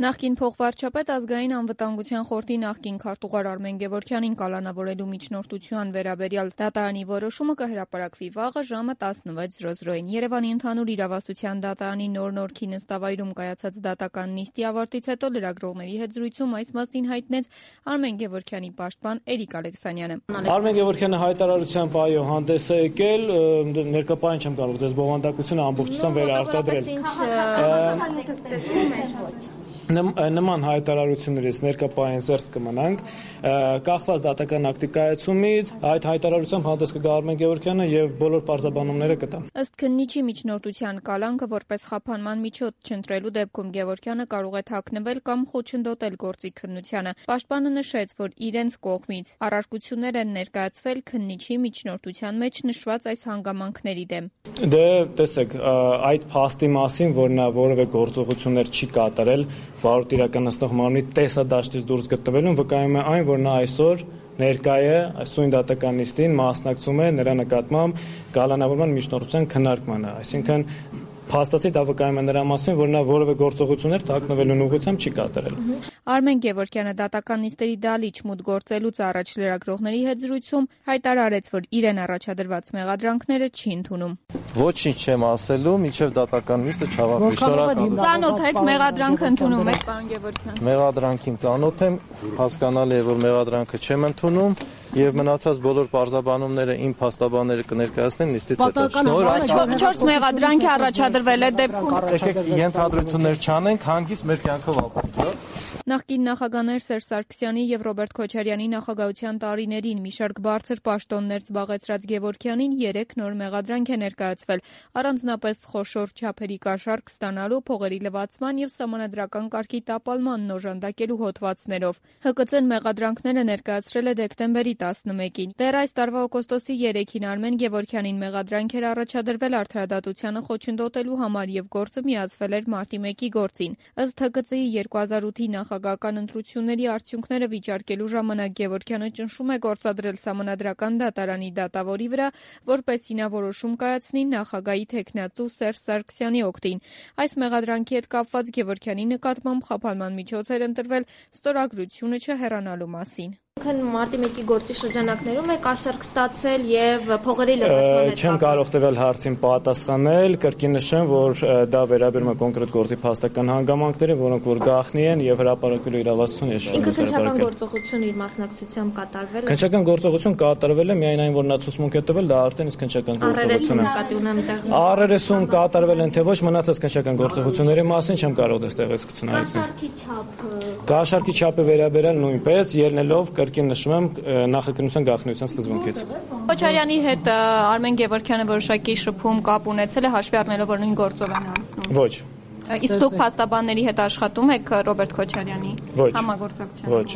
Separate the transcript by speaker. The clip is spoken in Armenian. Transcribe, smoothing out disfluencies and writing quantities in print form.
Speaker 1: Նախկին փոխվարչապետ ազգային անվտանգության խորհրդի նախկին քարտուղար Արմեն Գևորգյանին կալանավորելու միջնորդության վերաբերյալ դատարանի որոշումը կհրապարակվի վաղը ժամը 16:00-ին։ Երևանի ընդհանուր իրավասության դատարանի նոր-Նորքի նստավայրում կայացած դատական նիստի ավարտից հետո լրագրողների հետ զրույցում այս մասին հայտնեց Արմեն Գևորգյանի պաշտպան Էրիկ Ալեքսանյանը։
Speaker 2: Արմեն Գևորգյանը հայտարարությամբ այո հանդես է եկել, ներկայ չեմ կարող դες բովանդակությունը ամբողջությամբ վերարտադրել։ Նման հայտարարություններից ներկայ զերծ կմնանք, կախված դատական ակտի կայացումից, այդ հայտարարությամբ հանդես կգա Արմեն Գևորգյանը եւ բոլոր պարզաբանումները կտա։
Speaker 1: Ըստ քննիչի միջնորդության կալանքը որպես խափանման միջոց չընտրելու դեպքում Գևորգյանը կարող է թաքնվել կամ խոչընդոտել գործի քննությանը։ Պաշտպանը նշեց, որ իրենց կողմից առարկություններ են ներկայացվել քննիչի միջնորդության մեջ նշված այս հանգամանքների դեմ։
Speaker 2: Դե տեսեք, այդ փաստի մասին, որ նա որևէ գործողություններ չի կատարել, վարորդ իրականացնող մարմնի տեսադաշտից դուրս գտնվելուն վկայում է այն, որ նա այսօր ներկայ է այսօր դատական նիստին մասնակցում է նրա նկատմամբ կալանավորման միջնորդության քննարկմանը, այսինքն փաստացի դա վկայում է նրա մասին, որ նա որևէ գործողություններ թաքնվելուն ուղղությամբ չի կատարել։
Speaker 1: Արմեն Գևորգյանը դատական նիստերի դալիճ մուտք գործելուց առաջ լրագրողների հետ զրույցում հայտարարեց, որ իրեն առաջադրված մեղադրանքները չի ընդունում։
Speaker 3: Ոչինչ չեմ ասելու, մինչև դատական նիստը չավարտվի։ Շնորհակալ եմ։
Speaker 1: Ծանոթ եք մեղադրանքը ընդունում եք, պարոն Գևորգյան։
Speaker 3: Մեղադրանքին ծանոթ եմ, հասկանալի է, որ մեղադրանքը չեմ ընդունում եւ մնացած բոլոր պարզաբանումները իմ փաստաբանները կներկայացնեն նիստից հետո։
Speaker 1: Շնորհակալ 4 մեղադրանք է առաջադրվել այդ դեպքում։
Speaker 3: Եկեք ենթադրություններ չանենք, հանգիստ մեր կյանքով ապրենք։
Speaker 1: Նախկին նախագահներ Սերժ Սարգսյանի եւ Ռոբերտ Քոչարյանի նախագահության տարիներին մի շարք բարձր պաշտոններ զբաղեցրած Գևորգյանին 3 նոր մեղադրանք է ներկայացվել, առանձնապես խոշոր չափերի կաշառք ստանալու, փողերի լվացման եւ սահմանադրական կարգի տապալման օժանդակելու հոդվածներով։ ՀԿՑ-ն մեղադրանքները ներկայացրել է դեկտեմբերի 11-ին։ Դեռ այս տարվա օգոստոսի 3-ին Արմեն Գևորգյանին մեղադրանք էր առաջադրվել արդարադատությանը խոչընդոտելու համար եւ գործը միացվել էր մարտի 1-ի գործին։ Ըստ ՀԿՑ-ի 2008-ի նախագահական ընտրությունների արդյունքները վիճարկելու ժամանակ Գևորգյանը ճնշում է գործադրել սահմանադրական դատարանի դատավորի վրա, որպեսզի նա որոշում կայացնի նախագահի թեկնածու Սերժ Սարգսյանի օգտին։ Այս մեղադրանքի հետ կապված Գևորգյանի նկատմամբ խափանման միջոց էր ընտրվել ստորագրությունը չհեռանալու մասին։
Speaker 4: Մարտի 1-ի գործի շրջանակներում է կաշառք ստացել եւ փողերի լվացման հետ։
Speaker 2: Չեմ կարող տվել հարցին պատասխանել, կրկին նշեմ, որ դա վերաբերում է կոնկրետ գործի փաստական հանգամանքներին, որոնք որ գաղտնի են եւ հրապարակելու իրավասություն ես
Speaker 4: շնորհակալ։ Ինքը քննչական գործողություն իր մասնակցությամբ կատարվել է։
Speaker 2: Քննչական գործողություն կատարվել է, միայն այն որ նա ցուցմունք է տվել, դա արդեն իսկ քննչական գործողություն է։ Առերեսում կատարվել են թե ոչ, մնացած քննչական գործողությունների մասին չեմ կարող դες տեղեկություն
Speaker 4: հայտնել։
Speaker 2: Կաշառքի չափը վերաբերել նույնպես ելնելով կրկին նշում եմ նախաքննության գաղտնիության սկզբունքից։
Speaker 1: Քոչարյանի հետ Արմեն Գևորգյանը որոշակի շփում կապ ունեցել է հաշվի առնելով որ նույն գործով են անցնում։
Speaker 2: Ոչ։
Speaker 1: Իսկ դուք փաստաբանների հետ աշխատում եք Ռոբերտ Քոչարյանի համագործակցությամբ։
Speaker 2: Ոչ։